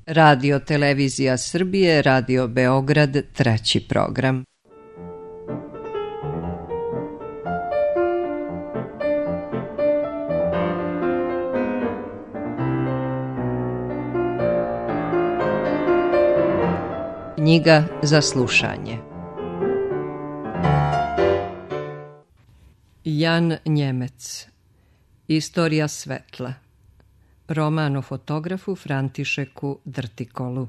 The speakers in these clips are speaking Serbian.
Radio Televizija Srbije, Radio Beograd, treći program. Knjiga za slušanje. Jan Njemec. Istorija svetla. Roman o fotografu Františeku Drtikolu.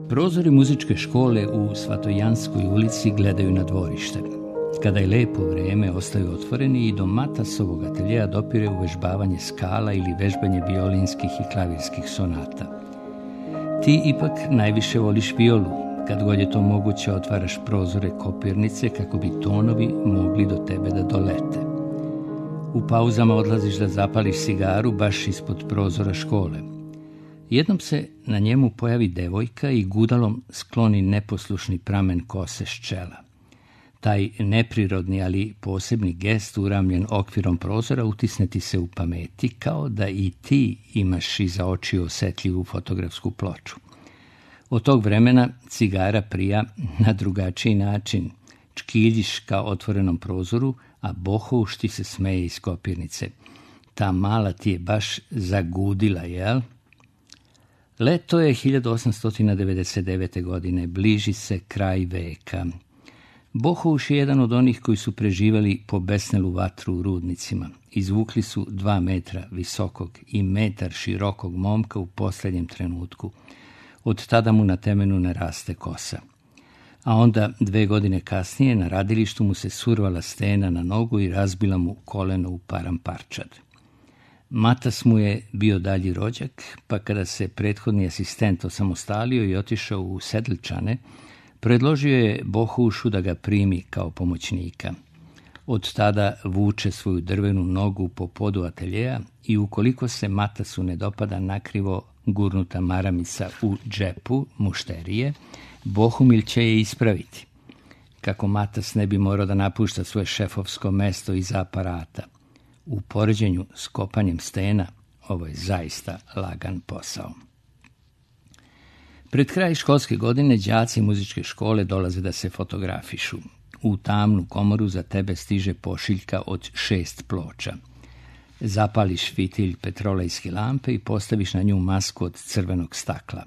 Prozori muzičke škole u Svatojanskoj ulici gledaju na dvorište. Kada je lepo vrijeme, ostaju otvoreni i do Matasovog ateljea dopire uvežbavanje skala ili vežbanje violinskih i klavirskih sonata. Ti ipak najviše voliš violu. Kad god je to moguće, otvaraš prozore kopirnice kako bi tonovi mogli do tebe da dolete. U pauzama odlaziš da zapališ cigaru baš ispod prozora škole. Jednom se na njemu pojavi devojka i gudalom skloni neposlušni pramen kose s čela. Taj neprirodni, ali posebni gest uramljen okvirom prozora utisne ti se u pameti, kao da i ti imaš iza očiju osetljivu fotografsku ploču. Od tog vremena cigara prija na drugačiji način. Čkiljiš ka otvorenom prozoru, a Bohouš ti se smeje iz kopirnice. Ta mala ti je baš zagudila, jel? Leto je 1899. godine, bliži se kraj veka. Bohouš je jedan od onih koji su preživali po besnelu vatru u rudnicima. Izvukli su 2 metra visokog i metar širokog momka u posljednjem trenutku. Od tada mu na temenu ne raste kosa. A onda 2 godine kasnije na radilištu mu se survala stena na nogu i razbila mu koleno u paramparčad. Matas mu je bio dalji rođak, pa kada se prethodni asistent osamostalio i otišao u Sedlčane, predložio je Bohoušu da ga primi kao pomoćnika. Od tada vuče svoju drvenu nogu po podu ateljeja i ukoliko se Matasu ne dopada nakrivo gurnuta maramica u džepu mušterije, Bohumil će je ispraviti. Kako Matas ne bi morao da napušta svoje šefovsko mesto iza aparata. U poređenju s kopanjem stena, ovo je zaista lagan posao. Pred kraj školske godine đaci muzičke škole dolaze da se fotografišu. U tamnu komoru za tebe stiže pošiljka od 6 ploča. Zapališ fitilj petrolejske lampe i postaviš na nju masku od crvenog stakla.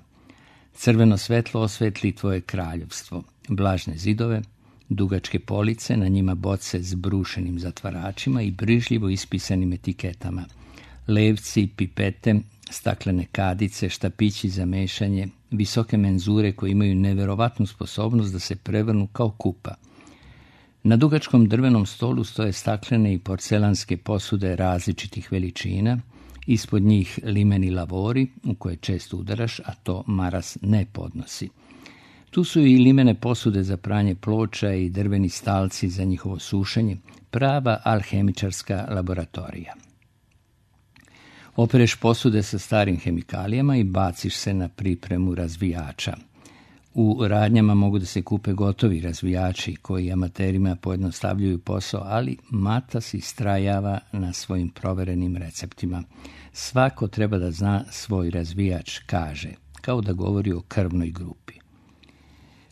Crveno svetlo osvetli tvoje kraljevstvo, vlažne zidove, dugačke police, na njima boce s brušenim zatvaračima i brižljivo ispisanim etiketama, levci, pipete, staklene kadice, štapići za mešanje, visoke menzure koje imaju neverovatnu sposobnost da se prevrnu kao kupa. Na dugačkom drvenom stolu stoje staklene i porcelanske posude različitih veličina, ispod njih limeni lavori u koje često udaraš, a to maras ne podnosi. Tu su i limene posude za pranje ploča i drveni stalci za njihovo sušenje, prava alhemičarska laboratorija. Opereš posude sa starim hemikalijama i baciš se na pripremu razvijača. U radnjama mogu da se kupe gotovi razvijači koji amaterima pojednostavljuju posao, ali Matas istrajava na svojim proverenim receptima. Svako treba da zna svoj razvijač, kaže, kao da govori o krvnoj grupi.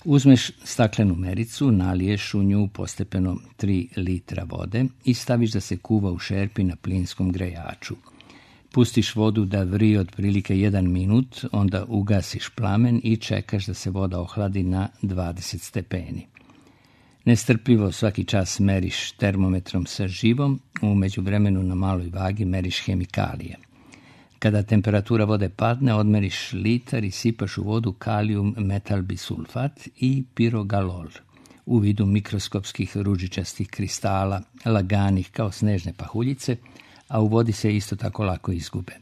Uzmeš staklenu mericu, naliješ u nju postepeno 3 litra vode i staviš da se kuva u šerpi na plinskom grejaču. Pustiš vodu da vri otprilike 1 minut, onda ugasiš plamen i čekaš da se voda ohladi na 20 stepeni. Nestrpljivo svaki čas meriš termometrom sa živom, u međuvremenu na maloj vagi meriš hemikalije. Kada temperatura vode padne, odmeriš litar i sipaš u vodu kalijum metalbisulfat i pirogalol u vidu mikroskopskih ružičastih kristala, laganih kao snežne pahuljice, a u vodi se isto tako lako izgube.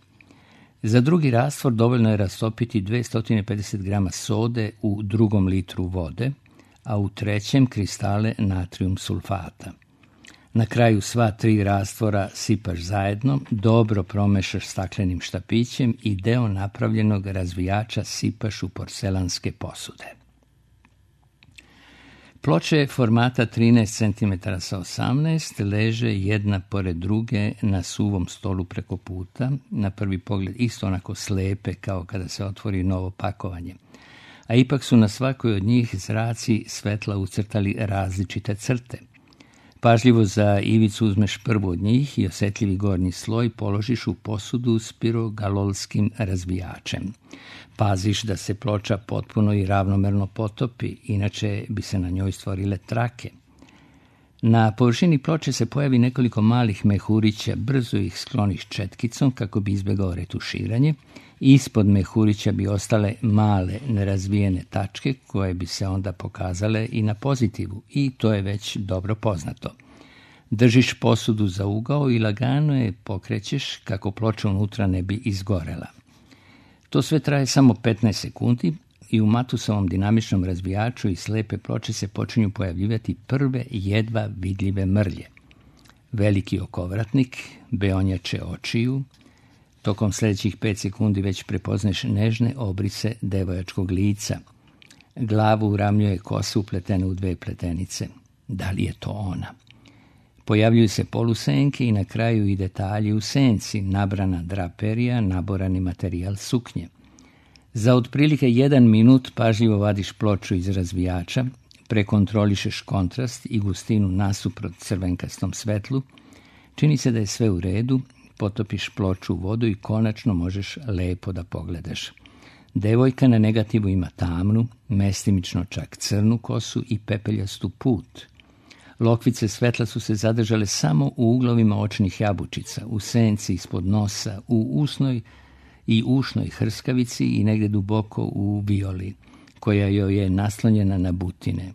Za drugi rastvor dovoljno je rastopiti 250 grama sode u 2 litru vode, a u 3. kristale natrium sulfata. Na kraju sva 3 rastvora sipaš zajedno, dobro promešaš staklenim štapićem i deo napravljenog razvijača sipaš u porcelanske posude. Ploče formata 13 cm sa 18 leže jedna pored druge na suvom stolu preko puta, na prvi pogled isto onako slepe kao kada se otvori novo pakovanje. A ipak su na svakoj od njih zraci svetla ucrtali različite crte. Pažljivo za ivicu uzmeš prvu od njih i osjetljivi gornji sloj položiš u posudu s pirogalolskim razvijačem. Paziš da se ploča potpuno i ravnomerno potopi, inače bi se na njoj stvorile trake. Na površini ploče se pojavi nekoliko malih mehurića, brzo ih skloniš četkicom kako bi izbjegao retuširanje. Ispod mehurića bi ostale male nerazvijene tačke koje bi se onda pokazale i na pozitivu i to je već dobro poznato. Držiš posudu za ugao i lagano je pokrećeš kako ploča unutra ne bi izgorela. To sve traje samo 15 sekundi i u matusovom dinamičnom razvijaču i slepe ploče se počinju pojavljivati prve jedva vidljive mrlje. Veliki okovratnik, beonjače očiju. Tokom sljedećih 5 sekundi već prepoznaš nežne obrise devojačkog lica. Glavu uramljuje kosa upletena u 2 pletenice. Da li je to ona? Pojavljuju se polusenke i na kraju i detalji u senci, nabrana draperija, naborani materijal suknje. Za otprilike 1 minut pažljivo vadiš ploču iz razvijača, prekontrolišeš kontrast i gustinu nasuprot crvenkastom svetlu, čini se da je sve u redu, potopiš ploču u vodu i konačno možeš lepo da pogledaš. Devojka na negativu ima tamnu, mestimično čak crnu kosu i pepeljastu put. Lokvice svetla su se zadržale samo u uglovima očnih jabučica, u senci ispod nosa, u usnoj i ušnoj hrskavici i negdje duboko u violi, koja joj je naslonjena na butine.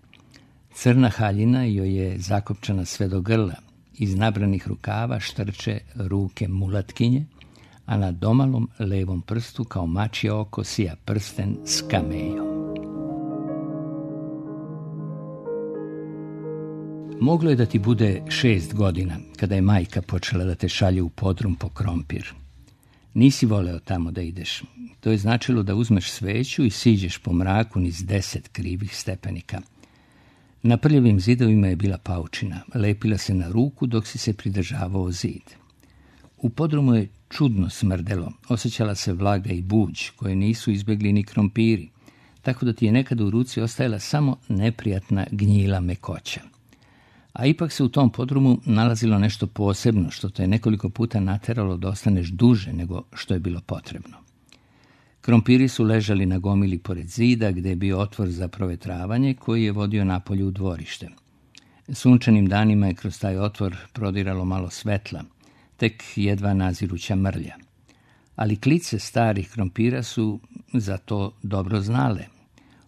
Crna haljina joj je zakopčana sve do grla. Iz nabranih rukava štrče ruke mulatkinje, a na domalom levom prstu kao mačje oko sija prsten s kamejom. Moglo je da ti bude 6 godina, kada je majka počela da te šalje u podrum po krompir. Nisi voleo tamo da ideš. To je značilo da uzmeš sveću i siđeš po mraku niz 10 krivih stepenika. Na prljavim zidovima je bila paučina, lepila se na ruku dok si se pridržavao zid. U podrumu je čudno smrdelo, osjećala se vlaga i buđ, koje nisu izbjegli ni krompiri, tako da ti je nekada u ruci ostajala samo neprijatna gnjila mekoća. A ipak se u tom podrumu nalazilo nešto posebno, što te je nekoliko puta nateralo da ostaneš duže nego što je bilo potrebno. Krompiri su ležali na gomili pored zida, gdje je bio otvor za provetravanje koji je vodio napolje u dvorište. Sunčanim danima je kroz taj otvor prodiralo malo svetla, tek jedva naziruća mrlja. Ali klice starih krompira su za to dobro znale.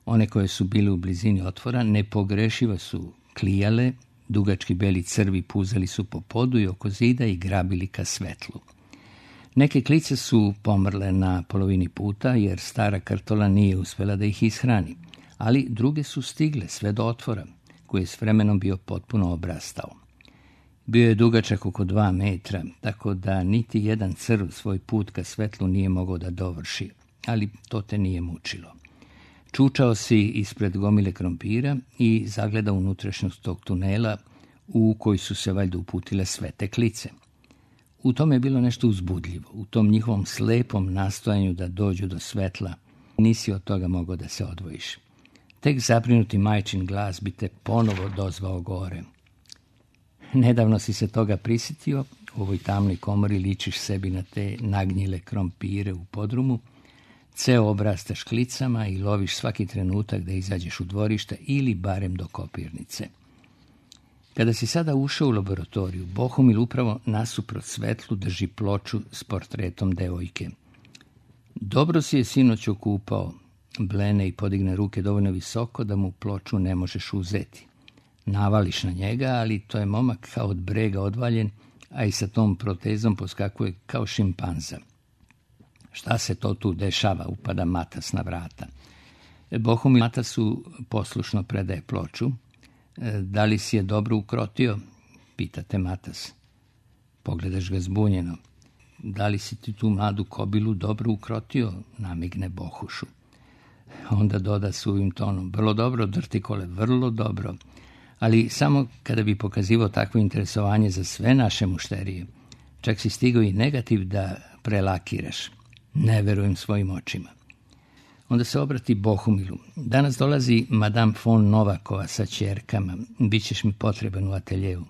One koje su bile u blizini otvora nepogrešivo su klijale, dugački beli crvi puzali su po podu i oko zida i grabili ka svetlu. Neke klice su pomrle na polovini puta jer stara krtola nije uspjela da ih ishrani, ali druge su stigle sve do otvora, koji je s vremenom bio potpuno obrastao. Bio je dugačak oko 2 metra, tako da niti jedan crv svoj put ka svetlu nije mogao da dovrši, ali to te nije mučilo. Čučao si ispred gomile krompira i zagledao unutrašnjost tog tunela u koji su se valjda uputile sve te klice. U tome je bilo nešto uzbudljivo, u tom njihovom slepom nastojanju da dođu do svetla. Nisi od toga mogao da se odvojiš. Tek zabrinuti majčin glas bi te ponovo dozvao gore. Nedavno si se toga prisjetio, u ovoj tamnoj komori ličiš sebi na te nagnjile krompire u podrumu, ceo obrastaš klicama i loviš svaki trenutak da izađeš u dvorište ili barem do kopirnice. Kada si sada ušao u laboratoriju, Bohumil upravo nasuprot svetlu drži ploču s portretom devojke. Dobro si je sinoć okupao, blene i podigne ruke dovoljno visoko da mu ploču ne možeš uzeti. Navališ na njega, ali to je momak kao od brega odvaljen, a i sa tom protezom poskakuje kao šimpanza. Šta se to tu dešava, upada Matas na vrata. Bohumil Matasu poslušno predaje ploču. Da li si je dobro ukrotio? Pitate Matas. Pogledaš ga zbunjeno. Da li si ti tu mladu kobilu dobro ukrotio? Namigne Bohušu. Onda doda suvim tonom, vrlo dobro, Drtikole, vrlo dobro. Ali samo kada bi pokazivao takvo interesovanje za sve naše mušterije. Čak si stigao i negativ da prelakiraš. Ne verujem svojim očima. Onda se obrati Bohumilu. Danas dolazi Madame von Novakova sa ćerkama. Bićeš mi potreban u ateljevu.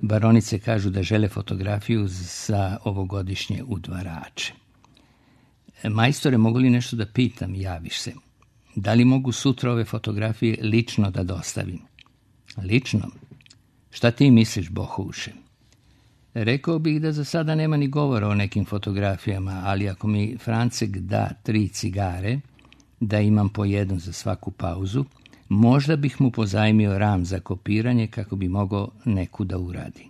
Baronice kažu da žele fotografiju za ovogodišnje udvarače. Majstore, mogu li nešto da pitam, javiš se. Da li mogu sutra ove fotografije lično da dostavim? Lično? Šta ti misliš, Bohuše? Rekao bih da za sada nema ni govora o nekim fotografijama, ali ako mi Francek da 3 cigare, da imam po jednu za svaku pauzu, možda bih mu pozajmio ram za kopiranje kako bi mogao neku da uradi.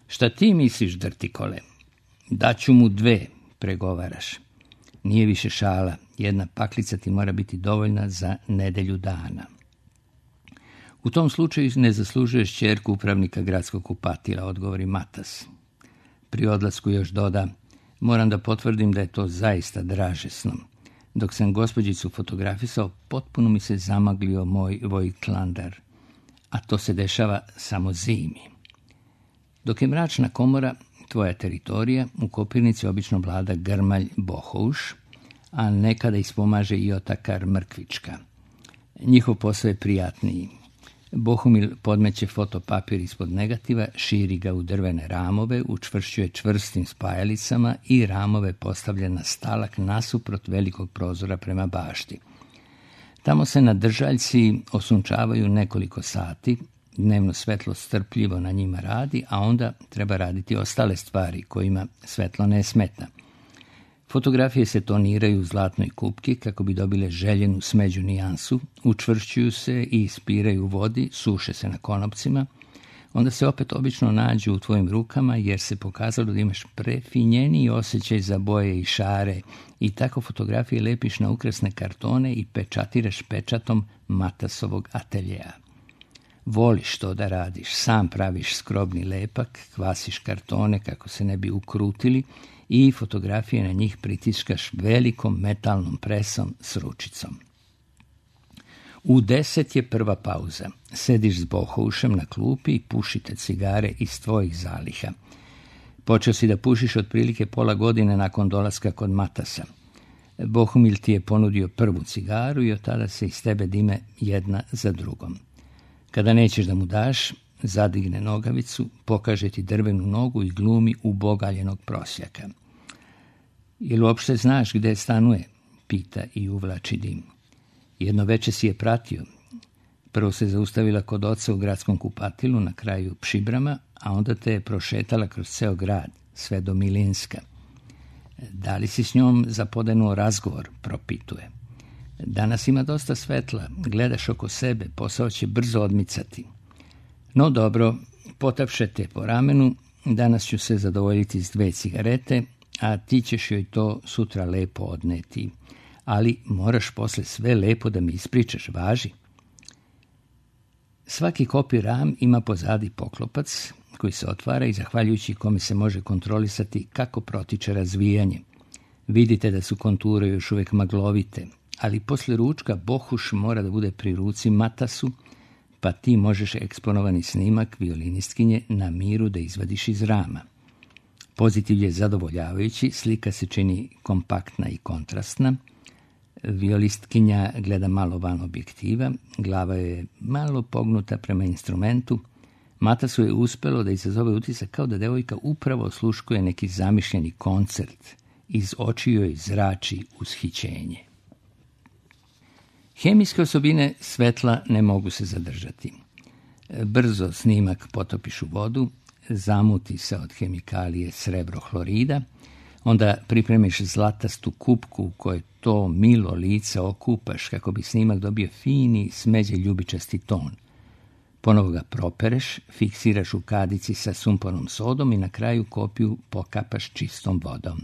Šta ti misliš, Drtikole? Daću mu 2, pregovaraš. Nije više šala, 1 paklica ti mora biti dovoljna za nedelju dana. U tom slučaju ne zaslužuješ ćerku upravnika gradskog kupatila, odgovori Matas. Pri odlasku još doda, moram da potvrdim da je to zaista dražesno. Dok sam gospođicu fotografisao, potpuno mi se zamaglio moj vojklandar, a to se dešava samo zimi. Dok je mračna komora, tvoja teritorija, u kopirnici obično vlada grmalj Bohuš, a nekada ispomaže i otakar Mrkvička. Njihov posao je prijatniji. Bohumil podmeće fotopapir ispod negativa, širi ga u drvene ramove, učvršćuje čvrstim spajalicama i ramove postavlja na stalak nasuprot velikog prozora prema bašti. Tamo se na držaljci osunčavaju nekoliko sati, dnevno svetlo strpljivo na njima radi, a onda treba raditi ostale stvari kojima svetlo ne smeta. Fotografije se toniraju u zlatnoj kupki kako bi dobile željenu smeđu nijansu, učvršćuju se i ispiraju u vodi, suše se na konopcima, onda se opet obično nađu u tvojim rukama jer se pokazalo da imaš prefinjeniji osjećaj za boje i šare i tako fotografije lepiš na ukrasne kartone i pečatiraš pečatom Matasovog ateljeja. Voliš to da radiš, sam praviš skrobni lepak, kvasiš kartone kako se ne bi ukrutili i fotografije na njih pritiskaš velikom metalnom presom s ručicom. U 10 je prva pauza. Sediš s Bohušem na klupi i pušite cigare iz tvojih zaliha. Počeo si da pušiš otprilike pola godine nakon dolaska kod Matasa. Bohumil ti je ponudio prvu cigaru i od tada se iz tebe dime jedna za drugom. Kada nećeš da mu daš, zadigne nogavicu, pokaže ti drvenu nogu i glumi ubogaljenog prosjaka. Jel uopšte znaš gde stanuje? Pita i uvlači dim. Jedno veče si je pratio. Prvo se zaustavila kod oca u gradskom kupatilu na kraju Pšibrama, a onda te je prošetala kroz ceo grad, sve do Milinska. Da li si s njom zapodenuo razgovor? Propituje. Danas ima dosta svetla, gledaš oko sebe, posao će brzo odmicati. No dobro, potapše te po ramenu, danas ću se zadovoljiti s 2 cigarete, a ti ćeš joj to sutra lepo odneti. Ali moraš posle sve lepo da mi ispričaš, važi. Svaki kopi ram ima pozadi poklopac koji se otvara i zahvaljujući kome se može kontrolisati kako protiče razvijanje. Vidite da su konture još uvijek maglovite, ali posle ručka Bohuš mora da bude pri ruci Matasu, pa ti možeš eksponovani snimak violinistkinje na miru da izvadiš iz rama. Pozitiv je zadovoljavajući, slika se čini kompaktna i kontrastna. Violistkinja gleda malo van objektiva, glava je malo pognuta prema instrumentu. Matasu je uspelo da izazove utisak kao da devojka upravo osluškuje neki zamišljeni koncert. Iz očiju joj zrači ushićenje. Hemijske osobine svetla ne mogu se zadržati. Brzo snimak potopiš u vodu, zamuti se od hemikalije srebrohlorida, onda pripremiš zlatastu kupku u kojoj to milo lice okupaš kako bi snimak dobio fini, smeđe ljubičasti ton. Ponovo ga propereš, fiksiraš u kadici sa sumpornom sodom i na kraju kopiju pokapaš čistom vodom.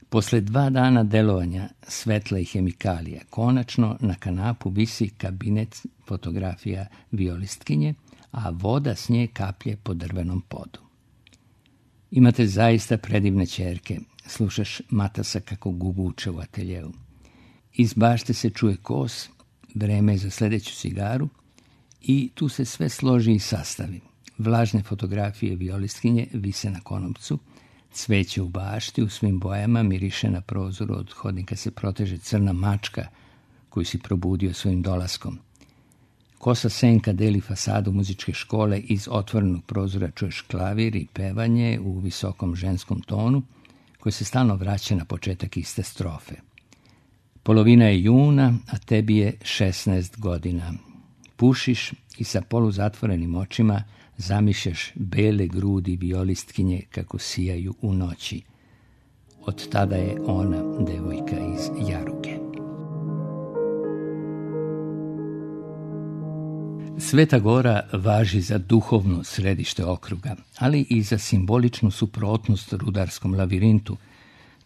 Posle 2 dana delovanja svetla i hemikalija, konačno na kanapu visi kabinet fotografija violistkinje, a voda s nje kaplje po drvenom podu. Imate zaista predivne ćerke, slušaš Matasa kako guguče u ateljevu. Iz bašte se čuje kos, vreme je za sljedeću cigaru i tu se sve složi i sastavi. Vlažne fotografije violistkinje vise na konopcu, cveće u bašti u svim bojama miriše na prozoru, od hodnika se proteže crna mačka koju si probudio svojim dolaskom. Kosa senka deli fasadu muzičke škole, iz otvorenog prozora čuješ klavir i pevanje u visokom ženskom tonu koji se stalno vraća na početak iste strofe. Polovina je juna, a tebi je 16 godina. Pušiš i sa poluzatvorenim očima zamišljaš bele grudi violistkinje kako sijaju u noći. Od tada je ona devojka iz Jaruge. Sveta Gora važi za duhovno središte okruga, ali i za simboličnu suprotnost rudarskom lavirintu,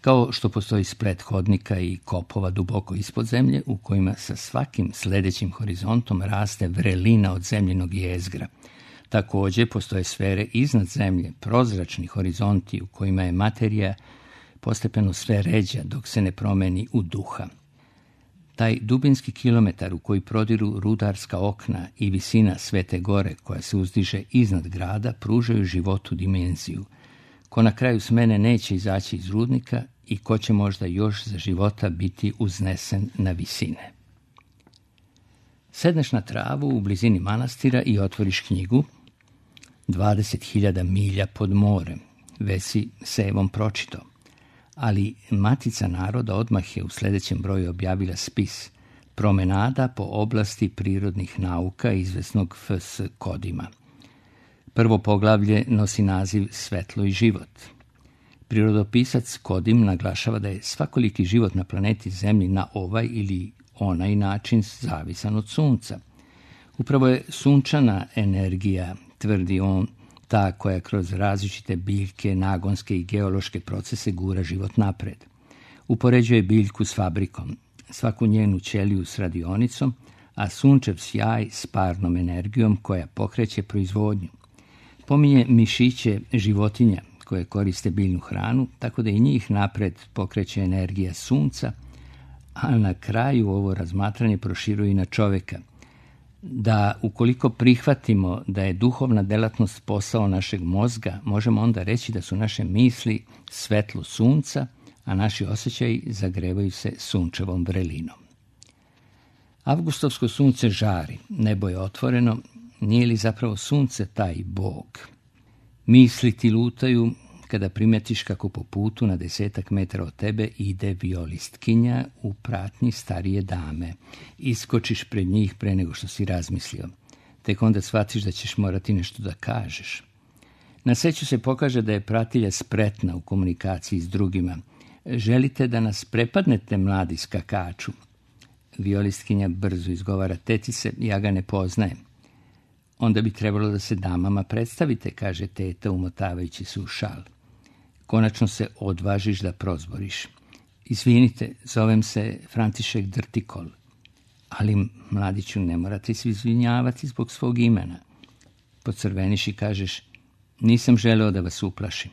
kao što postoji splet hodnika i kopova duboko ispod zemlje u kojima sa svakim sljedećim horizontom raste vrelina od zemljinog jezgra. Također postoje sfere iznad zemlje, prozračni horizonti u kojima je materija postepeno sve ređa dok se ne promeni u duha. Taj dubinski kilometar u koji prodiru rudarska okna i visina Svete Gore koja se uzdiže iznad grada pružaju životu dimenziju. Ko na kraju smene neće izaći iz rudnika i ko će možda još za života biti uznesen na visine. Sedneš na travu u blizini manastira i otvoriš knjigu 20.000 milja pod morem. Već si sevom pročitao. Ali Matica naroda odmah je u sljedećem broju objavila spis Promenada po oblasti prirodnih nauka izvesnog F.S. Kodima. Prvo poglavlje nosi naziv Svetlo i život. Prirodopisac Kodim naglašava da je svakoliki život na planeti Zemlji na ovaj ili onaj način zavisan od sunca. Upravo je sunčana energija, tvrdi on, ta koja kroz različite biljke, nagonske i geološke procese gura život napred. Upoređuje biljku s fabrikom, svaku njenu ćeliju s radionicom, a sunčev sjaj s parnom energijom koja pokreće proizvodnju. Pominje mišiće životinja koje koriste biljnu hranu, tako da i njih napred pokreće energija sunca, a na kraju ovo razmatranje proširuje i na čovjeka. Da ukoliko prihvatimo da je duhovna delatnost posao našeg mozga, možemo onda reći da su naše misli svetlo sunca, a naši osjećaji zagrevaju se sunčevom vrelinom. Avgustovsko sunce žari, nebo je otvoreno, nije li zapravo sunce taj Bog? Misli ti lutaju kada primetiš kako po putu na 10 metara od tebe ide violistkinja u pratnji starije dame. Iskočiš pred njih pre nego što si razmislio. Tek onda shvatiš da ćeš morati nešto da kažeš. Na sreću se pokaže da je pratilja spretna u komunikaciji s drugima. Želite da nas prepadnete, mladi skakaču? Violistkinja brzo izgovara: tetice, ja ga ne poznajem. Onda bi trebalo da se damama predstavite, kaže teta umotavajući se u šal. Konačno se odvažiš da prozboriš. Izvinite, zovem se František Drtikol. Ali, mladiću, ne morate se izvinjavati zbog svog imena. Pocrveniš i kažeš: nisam želeo da vas uplašim.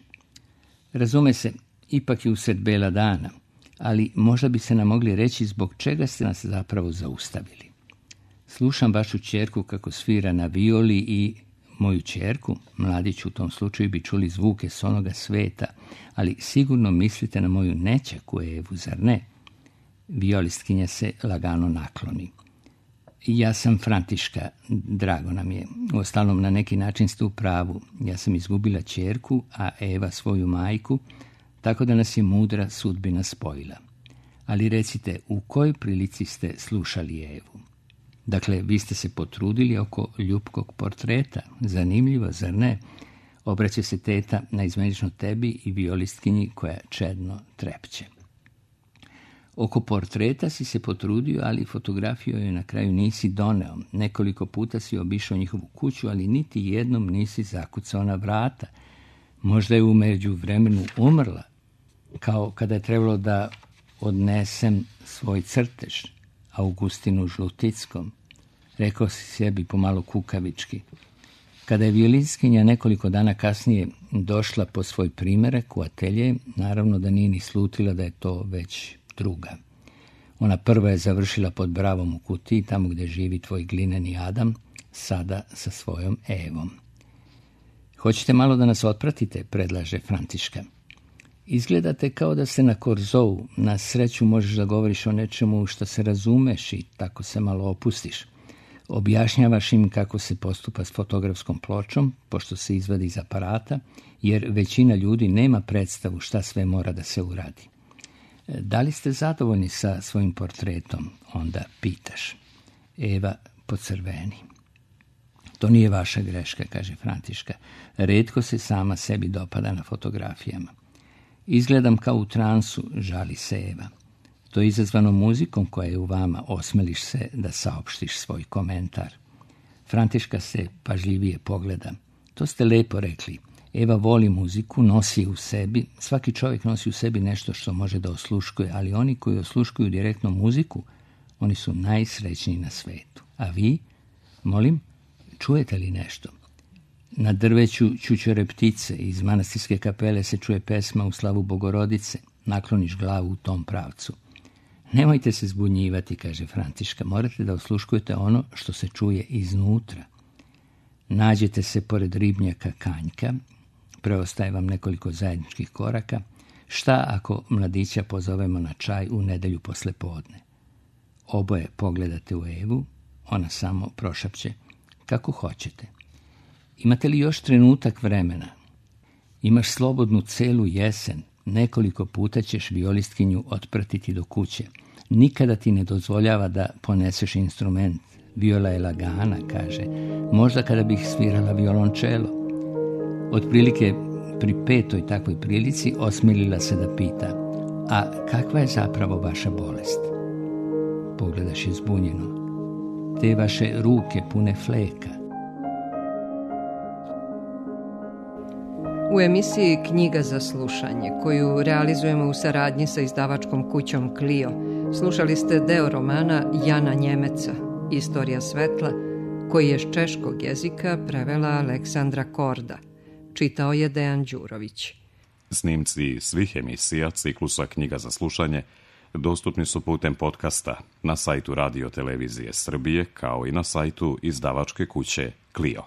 Razume se, ipak je usred bela dana, ali možda bi se nam mogli reći zbog čega ste nas zapravo zaustavili. Slušam vašu ćerku kako svira na violi i moju ćerku, mladiću, u tom slučaju bi čuli zvuke s onoga sveta, ali sigurno mislite na moju nećaku Evu, zar ne? Violistkinja se lagano nakloni. Ja sam Františka, drago nam je. Uostalom, na neki način ste u pravu. Ja sam izgubila ćerku, a Eva svoju majku, tako da nas je mudra sudbina spojila. Ali recite, u kojoj prilici ste slušali Evu? Dakle, vi ste se potrudili oko ljubkog portreta. Zanimljivo, zar ne? Obraća se teta naizmenično tebi i violistkinji koja čedno trepće. Oko portreta si se potrudio, ali fotografiju joj na kraju nisi doneo. Nekoliko puta si obišao njihovu kuću, ali niti jednom nisi zakucao na vrata. Možda je u međuvremenu umrla, kao kada je trebalo da odnesem svoj crtež Augustinu Žlutickom. Rekao si sebi pomalo kukavički. Kada je violistkinja nekoliko dana kasnije došla po svoj primerak u atelje, naravno da nije ni slutila da je to već druga. Ona prva je završila pod Bravom u kutiji, tamo gdje živi tvoj glineni Adam, sada sa svojom Evom. Hoćete malo da nas otpratite, predlaže Františka. Izgledate kao da ste na korzou, na sreću možeš da govoriš o nečemu što se razumeš i tako se malo opustiš. Objašnjavaš im kako se postupa s fotografskom pločom, pošto se izvadi iz aparata, jer većina ljudi nema predstavu šta sve mora da se uradi. Da li ste zadovoljni sa svojim portretom? Onda pitaš. Eva pocrveni. To nije vaša greška, kaže Františka. Retko se sama sebi dopada na fotografijama. Izgledam kao u transu, žali se Eva. To je izazvano muzikom koja je u vama, osmeliš se da saopštiš svoj komentar. Františka se pažljivije pogleda. To ste lepo rekli. Eva voli muziku, nosi u sebi. Svaki čovjek nosi u sebi nešto što može da osluškuje, ali oni koji osluškuju direktno muziku, oni su najsrećniji na svetu. A vi, molim, čujete li nešto? Na drveću čučore ptice, iz manastirske kapele se čuje pesma u slavu Bogorodice. Nakloniš glavu u tom pravcu. Nemojte se zbunjivati, kaže Františka, morate da osluškujete ono što se čuje iznutra. Nađete se pored ribnjaka Kanjka, preostaje vam nekoliko zajedničkih koraka. Šta ako mladića pozovemo na čaj u nedelju posle podne? Oboje pogledate u Evu, ona samo prošapće. Kako hoćete. Imate li još trenutak vremena? Imaš slobodnu celu jesen, nekoliko puta ćeš violistkinju otpratiti do kuće. Nikada ti ne dozvoljava da poneseš instrument. Viola je lagana, kaže. Možda kada bih svirala violončelo. Otprilike pri 5. takvoj prilici osmilila se da pita. A kakva je zapravo vaša bolest? Pogledaš je zbunjeno. Te vaše ruke pune fleka. U emisiji Knjiga za slušanje, koju realizujemo u saradnji sa izdavačkom kućom Clio, slušali ste deo romana Jana Njemeca, Istorija svetla, koji je s češkog jezika prevela Aleksandra Korda. Čitao je Dejan Đurović. Snimci svih emisija ciklusa Knjiga za slušanje dostupni su putem podcasta na sajtu Radio Televizije Srbije, kao i na sajtu izdavačke kuće Clio.